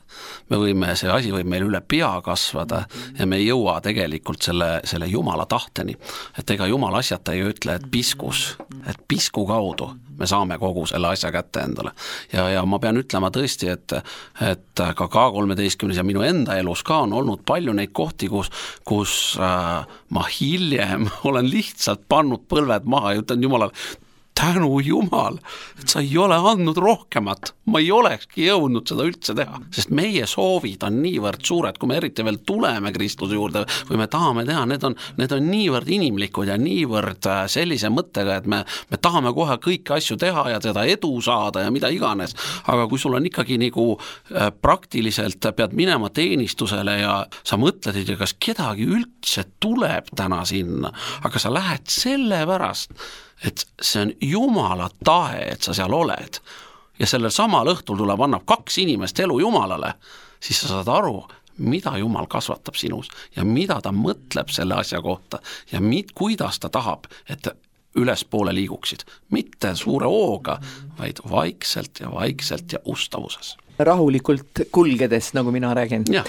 Me võime, see asi võib meil üle pea kasvada ja me ei jõua tegelikult selle, selle Jumala tahteni. Et ega Jumal asjata ei ütle, et piskus, et pisku kaudu me saame kogu selle asja kätte endale. Ja, ja ma pean ütlema tõesti, et, et ka K kolmeteistkümnes ja minu enda elus ka on olnud palju neid kohti, kus, kus äh, ma hiljem olen lihtsalt pannud põlved maha ja ütlen Jumalale, tänu Jumal, et sa ei ole andnud rohkemat, ma ei olekski jõudnud seda üldse teha, sest meie soovid on niivõrd suured, kui me eriti veel tuleme Kristuse juurde või me tahame teha, need on, need on niivõrd inimlikud ja niivõrd sellise mõttega, et me, me tahame kohe kõiki asju teha ja seda edu saada ja mida iganes, aga kui sul on ikkagi nagu praktiliselt pead minema teenistusele ja sa mõtled, et kas kedagi üldse tuleb täna sinna, aga sa lähed selle pärast, et see on Jumala tahe, et sa seal oled ja sellel samal õhtul tuleb, annab kaks inimest elu Jumalale, siis sa saad aru, mida Jumal kasvatab sinus ja mida ta mõtleb selle asja kohta ja mit, kuidas ta tahab, et ülespoole liiguksid. Mitte suure hooga, vaid vaikselt ja vaikselt ja ustavuses. Rahulikult kulgedes, nagu mina räägin. Ja.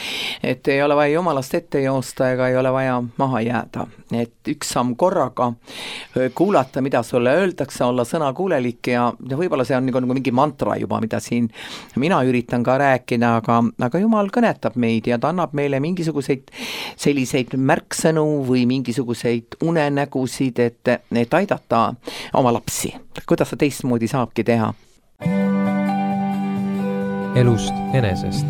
Et ei ole vaja Jumalast ette joosta ega ei ole vaja maha jääda. Et üks samm korraga kuulata, mida sulle öeldakse, olla sõnakuulelik ja, ja võib-olla see on nagu, nagu mingi mantra juba, mida siin mina üritan ka rääkida, aga, aga Jumal kõnetab meid ja ta annab meile mingisuguseid selliseid märksõnu või mingisuguseid unenägusid, et, et aidata oma lapsi. Kuidas sa teistmoodi saabki teha? Elust enesest.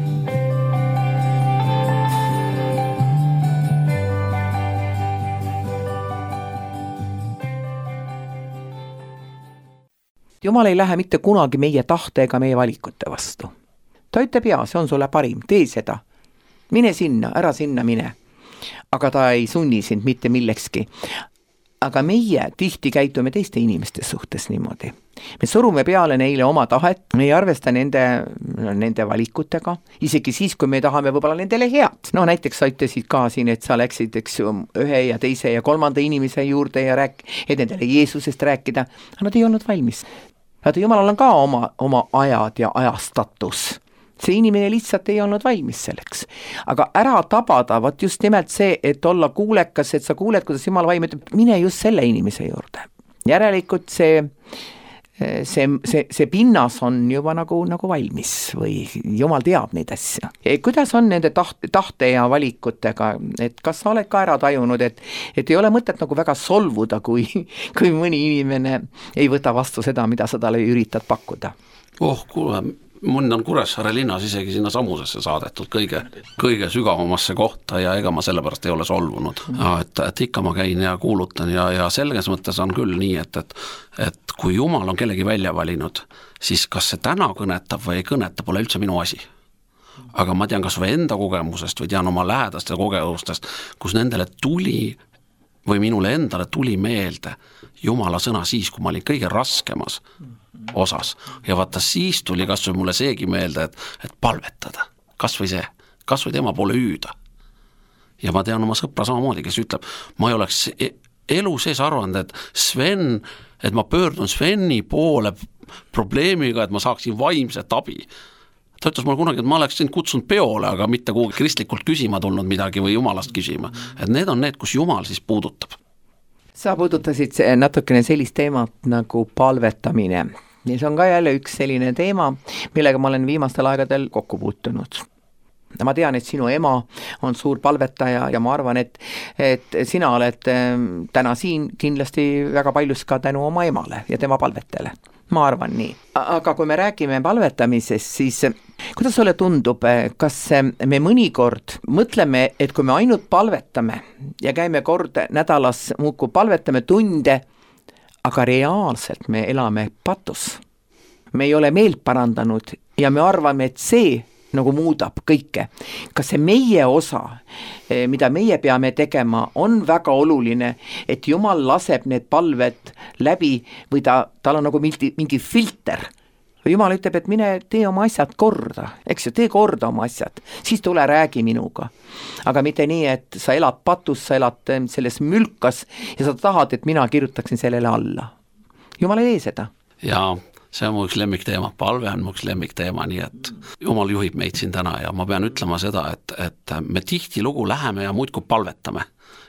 Jumal ei lähe mitte kunagi meie tahte ega meie valikute vastu. Ta ütleb, jaa, see on sulle parim, tee seda. Mine sinna, ära sinna mine. aga ta ei sunni sind mitte millekski. Aga meie tihti käitume teiste inimeste suhtes niimoodi. Me surume peale neile oma tahet, me ei arvesta nende, nende valikutega, isegi siis, kui me tahame võib-olla nendele head. No näiteks sa ütlesid ka siin, et sa läksid eks, ühe ja teise ja kolmanda inimese juurde ja rääk, et nendele Jeesusest rääkida, aga nad ei olnud valmis. Vaata, Jumalal on ka oma, oma ajad ja ajastatus. See inimene lihtsalt ei olnud valmis selleks. Aga ära tabada, vaat just nimelt see, et olla kuulekas, et sa kuuled, kuidas Jumal vaim ütleb, mine just selle inimese juurde. Järelikult see, see, see, see pinnas on juba nagu, nagu valmis või Jumal teab neid asja. Ja kuidas on nende tahte, tahte ja valikutega, et kas sa oled ka ära tajunud, et, et ei ole mõtet nagu väga solvuda, kui, kui mõni inimene ei võta vastu seda, mida sa talle üritad pakkuda? Oh, kuule, mõnd on Kuressaare linnas isegi sinna samusesse saadetud kõige, kõige sügavamasse kohta ja ega ma sellepärast ei ole solvunud. Ja, et, et ikka ma käin ja kuulutan ja, ja selges mõttes on küll nii, et, et, et kui Jumal on kellegi välja valinud, siis kas see täna kõnetab või ei kõneta, pole üldse minu asi. Aga ma tean kas või enda kogemusest või tean oma lähedaste kogemustest, kus nendele tuli või minule endale tuli meelde Jumala sõna siis, kui ma olin kõige raskemas osas. Ja vaata, siis tuli kas või mulle seegi meelde, et, et palvetada. Kas või see, kas või tema poole hüüda. Ja ma tean oma sõpra samamoodi, kes ütleb, ma ei oleks elu sees arvanud, et Sven, et ma pöördun Sveni poole probleemiga, et ma saaksin vaimset abi. Ta ütles mulle kunagi, et ma oleks sind kutsunud peole, aga mitte kuhugi kristlikult küsima tulnud midagi või Jumalast küsima. Et need on need, kus Jumal siis puudutab. Sa puudutasid natukene sellist teemat nagu palvetamine. Ja see on ka jälle üks selline teema, millega ma olen viimastel aegadel kokku puutunud. Ma tean, et sinu ema on suur palvetaja ja ma arvan, et, et sina oled täna siin kindlasti väga paljus ka tänu oma emale ja tema palvetele. Ma arvan nii. Aga kui me räägime palvetamisest, siis kuidas sulle tundub, kas me mõnikord mõtleme, et kui me ainult palvetame ja käime kord nädalas muudkui palvetame tunde, aga reaalselt me elame patus. Me ei ole meelt parandanud ja me arvame, et see nagu muudab kõike. Kas see meie osa, mida meie peame tegema, on väga oluline, et Jumal laseb need palved läbi või ta, tal on nagu mingi, mingi filter. Jumal ütleb, et mine tee oma asjad korda, eks ju, tee korda oma asjad, siis tule räägi minuga. Aga mitte nii, et sa elad patus, sa elad selles mülkas ja sa tahad, et mina kirjutaksin sellele alla. Jumal ei tee seda. Jaa. See on mu üks lemmikteema, palve on mu üks lemmikteema, nii et Jumal juhib meid siin täna ja ma pean ütlema seda, et, et me tihti lugu läheme ja muidku palvetame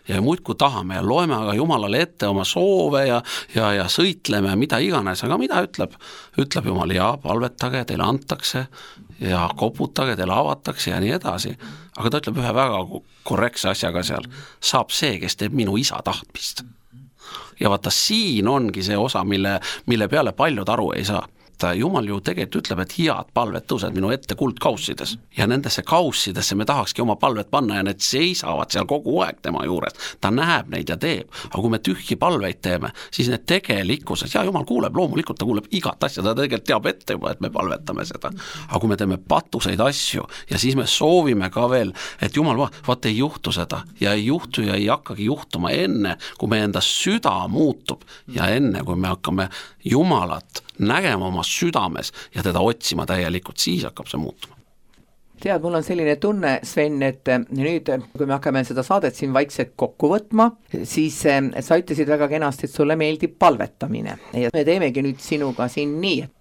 ja muidku tahame ja loeme aga Jumalale ette oma soove ja, ja, ja sõitleme, mida iganes, aga mida ütleb? Ütleb Jumal, ja palvetage, teile antakse ja koputage, teile avatakse ja nii edasi. Aga ta ütleb ühe väga korrektse asjaga seal, saab see, kes teeb minu isa tahtmist. Ja vaata, siin ongi see osa, mille, mille peale paljud aru ei saa. Jumal ju tegelikult ütleb, et head palvet tõused minu ette kuldkaussides ja nendesse kaussidesse me tahakski oma palvet panna ja need seisavad seal kogu aeg tema juures. Ta näeb neid ja teeb, aga kui me tühji palveid teeme, siis need tegelikkuses, ja Jumal kuuleb, loomulikult ta kuuleb igat asja, ta tegelikult teab ette juba, et me palvetame seda. Aga kui me teeme patuseid asju ja siis me soovime ka veel, et Jumal va, vaat ei juhtu seda ja ei juhtu ja ei hakkagi juhtuma enne, kui me enda süda muutub ja enne, kui me hakkame Jumalat nägema oma südames ja teda otsima täielikult, siis hakkab see muutuma. Tead, mul on selline tunne, Sven, et nüüd, kui me hakkame seda saadet siin vaikselt kokku võtma, siis sa ütlesid väga kenasti, et sulle meeldib palvetamine ja me teemegi nüüd sinuga siin nii, et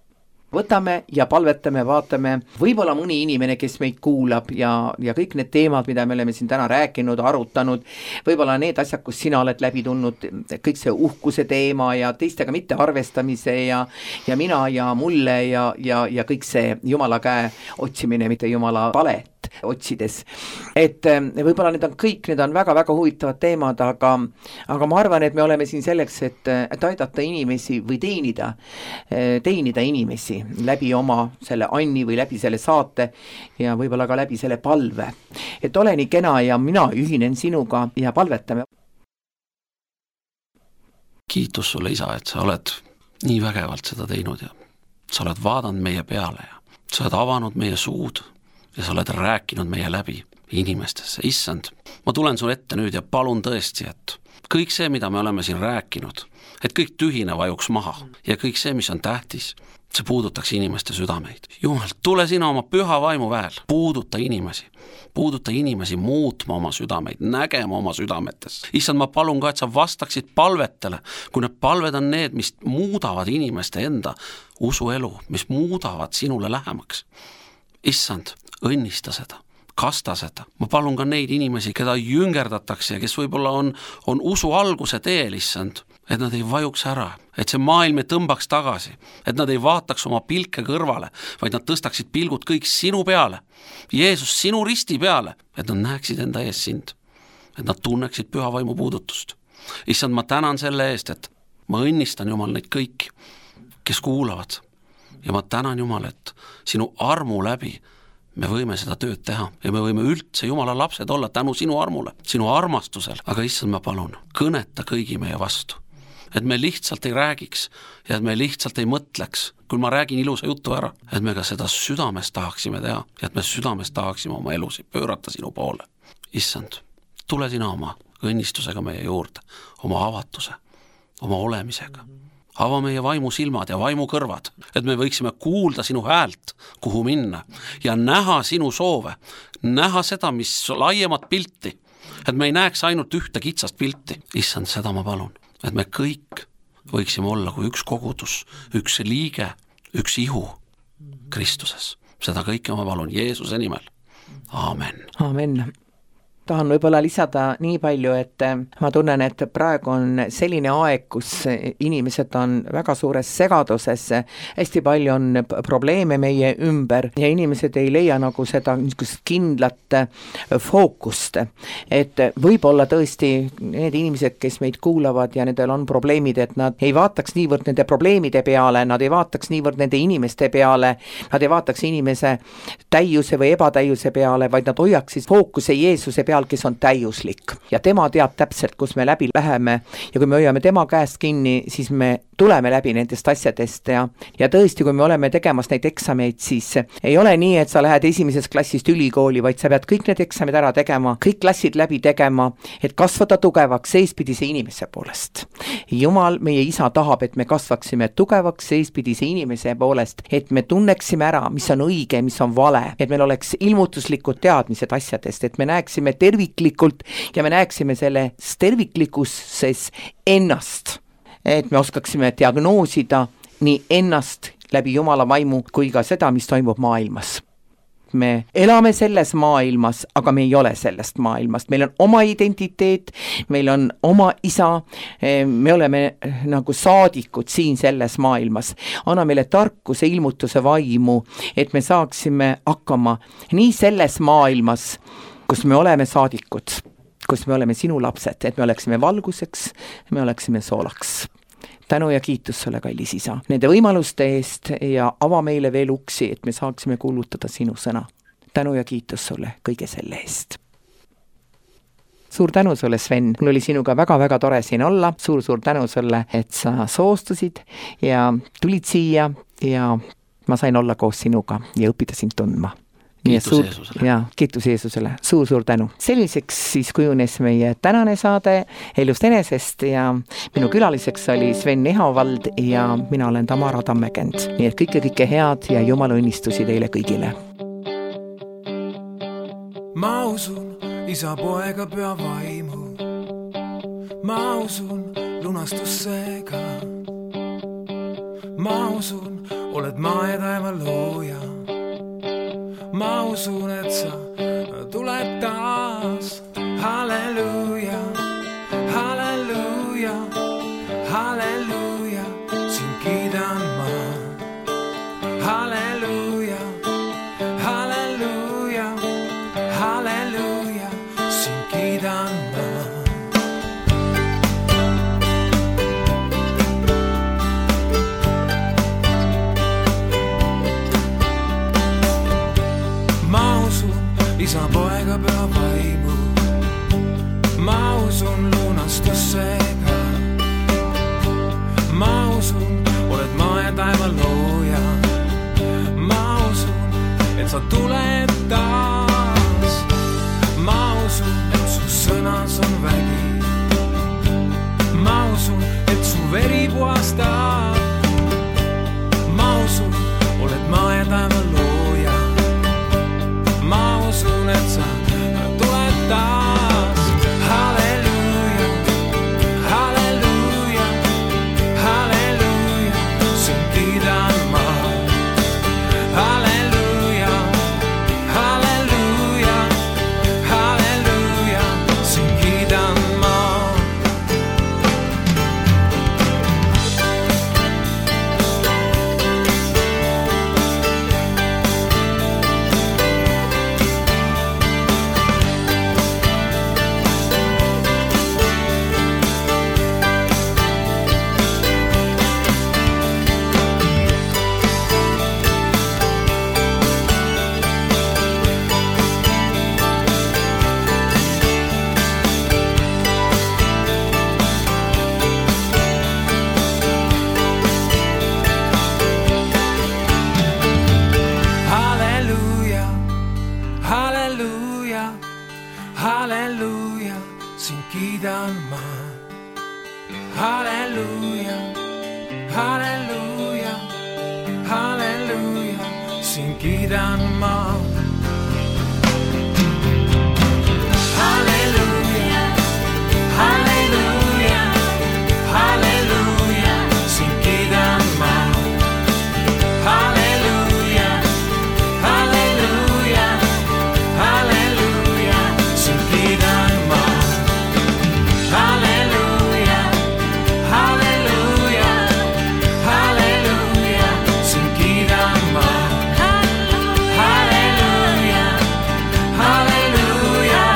võtame ja palvetame, vaatame, võib-olla mõni inimene, kes meid kuulab ja, ja kõik need teemad, mida me oleme siin täna rääkinud, arutanud, võib-olla need asjad, kus sina oled läbi tulnud, kõik see uhkuse teema ja teistega mitte arvestamise ja, ja mina ja mulle ja, ja, ja kõik see Jumala käe otsimine, mitte Jumala palet otsides. Et võib-olla need on kõik, need on väga-väga huvitavad teemad, aga, aga ma arvan, et me oleme siin selleks, et, et aidata inimesi või teenida, teenida inimesi läbi oma selle Anni või läbi selle saate ja võib-olla ka läbi selle palve. Et ole nii kena ja mina ühinen sinuga ja palvetame. Kiitus sulle, isa, et sa oled nii vägevalt seda teinud ja sa oled vaadanud meie peale ja sa oled avanud meie suud ja sa oled rääkinud meie läbi inimestesse. Issand, ma tulen sul ette nüüd ja palun tõesti, et kõik see, mida me oleme siin rääkinud, et kõik tühine vajuks maha ja kõik see, mis on tähtis, see puudutaks inimeste südameid. Jumal, tule sina oma püha vaimu väel, puuduta inimesi, puuduta inimesi muutma oma südameid, nägema oma südametes. Issand, ma palun ka, et sa vastaksid palvetele, kui need palved on need, mis muudavad inimeste enda usuelu, mis muudavad sinule lähemaks. Issand, õnnista seda, kasta seda. Ma palun ka neid inimesi, keda jüngerdatakse ja kes võib-olla on, on usu alguse teel, issand, et nad ei vajuks ära, et see maailm ei tõmbaks tagasi, et nad ei vaataks oma pilke kõrvale, vaid nad tõstaksid pilgud kõik sinu peale, Jeesus, sinu risti peale, et nad näeksid enda ees sind, et nad tunneksid püha vaimu puudutust. Issand, ma tänan selle eest, et ma õnnistan, Jumal, neid kõiki, kes kuulavad ja ma tänan, Jumal, et sinu armu läbi me võime seda tööd teha ja me võime üldse Jumala lapsed olla tänu sinu armule, sinu armastusel, aga issand, ma palun, kõneta kõigi meie vastu. Et me lihtsalt ei räägiks ja et me lihtsalt ei mõtleks, kui ma räägin ilusa jutu ära, et me ka seda südames tahaksime teha ja et me südames tahaksime oma elusid pöörata sinu poole. Issand, tule sina oma õnnistusega meie juurde, oma avatuse, oma olemisega. Ava meie vaimu silmad ja vaimu kõrvad, et me võiksime kuulda sinu häält, kuhu minna ja näha sinu soove, näha seda, mis laiemat pilti, et me ei näeks ainult ühte kitsast pilti. Issand, seda ma palun. Et me kõik võiksime olla kui üks kogudus, üks liige, üks ihu Kristuses. Seda kõike ma palun Jeesuse nimel. Aamen. Aamen. Tahan võib-olla lisada nii palju, et ma tunnen, et praegu on selline aeg, kus inimesed on väga suures segaduses, hästi palju on probleeme meie ümber ja inimesed ei leia nagu seda kindlat fookust. Et võib-olla tõesti need inimesed, kes meid kuulavad ja nendel on probleemid, et nad ei vaataks niivõrd nende probleemide peale, nad ei vaataks niivõrd nende inimeste peale, nad ei vaataks inimese täiuse või ebatäiuse peale, vaid nad hoiaksid fookuse Jeesuse peale, kes on täiuslik ja tema teab täpselt, kus me läbi läheme ja kui me hoiame tema käest kinni, siis me tuleme läbi nendest asjadest ja, ja tõesti, kui me oleme tegemas neid eksameid, siis ei ole nii, et sa lähed esimesest klassist ülikooli, vaid sa pead kõik need eksamid ära tegema, kõik klassid läbi tegema, et kasvada tugevaks seespidise inimese poolest. Jumal, meie isa tahab, et me kasvaksime tugevaks seespidise inimese poolest, et me tunneksime ära, mis on õige, mis on vale, et meil oleks ilmutuslikud teadmised asjadest, et me näeksime terviklikult ja me näeksime selles terviklikkuses ennast, et me oskaksime diagnoosida nii ennast läbi Jumala vaimu kui ka seda, mis toimub maailmas. Me elame selles maailmas, aga me ei ole sellest maailmast. Meil on oma identiteet, meil on oma isa, me oleme nagu saadikud siin selles maailmas. Anna meile tarkuse, ilmutuse vaimu, et me saaksime hakkama nii selles maailmas, kus me oleme saadikud, kus me oleme sinu lapsed, et me oleksime valguseks, me oleksime soolaks. Tänu ja kiitus sulle, kallis isa, nende võimaluste eest ja ava meile veel uksi, et me saaksime kuulutada sinu sõna. Tänu ja kiitus sulle kõige selle eest. Suur tänu sulle, Sven. Mul oli sinuga väga-väga tore siin olla. Suur-suur tänu sulle, et sa soostusid ja tulid siia ja ma sain olla koos sinuga ja õppida sind tundma. Kiitus suur, Jeesusele. Ja, kiitus Jeesusele. Suur-suur tänu. Selliseks siis kujunes meie tänane saade Elust enesest ja minu külaliseks oli Sven Ehavald ja mina olen Tamara Tammekend. Nii et kõike-kõike head ja Jumala õnnistusi teile kõigile. Ma usun isa, poega, püha vaimu. Ma usun lunastussega. Ma usun, oled maa ja taeva looja. Ma usun, et sa tuled taas. Halleluuja, halleluuja, halleluuja, sind kiidan ma. Halleluuja, halleluuja, halleluuja, sind kiidan ma. Isa, poega, püha vaimu. Ma usun lunastussega. Ma usun, oled maa ja taeva looja. Ma usun, et sa tuled taas. Ma usun, et su sõnas on vägi. Ma usun, et su veri puhastab. Ma usun, oled maa ja taeva looja. Ma usun, et sa tuled taas. Halleluuja, halleluuja, halleluuja, sind kiidan ma. Halleluuja, halleluuja, halleluuja, sind kiidan ma. Halleluuja, halleluuja, sind kiidan ma. Halleluuja, halleluuja, halleluuja, sind kiidan ma. Halleluuja, halleluuja, halleluuja, sind kiidan ma. Halleluuja, halleluuja, halleluuja, sind kiidan ma. Halleluuja, halleluuja, halleluuja, sind kiidan ma. Halleluuja, halleluuja,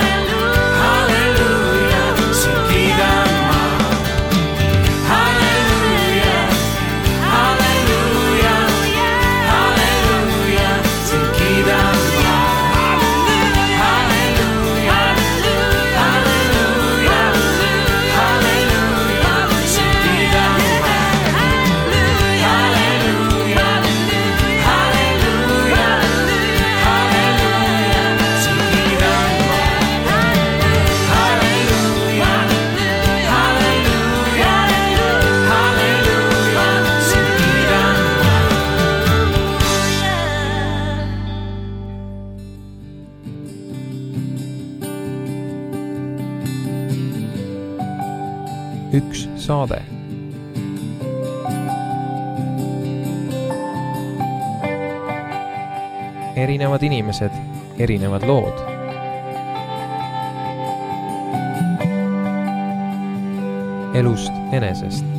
halleluuja, sind kiidan ma. Halleluuja, halleluuja, halleluuja, sind kiidan ma. Halleluuja, halleluuja, halleluuja, sind kiidan ma. Halleluuja, halleluuja, halleluuja, sind kiidan ma. Halleluuja, halleluuja, halleluuja, sind kiidan ma. Üks saade. Erinevad inimesed, erinevad lood. Elust enesest.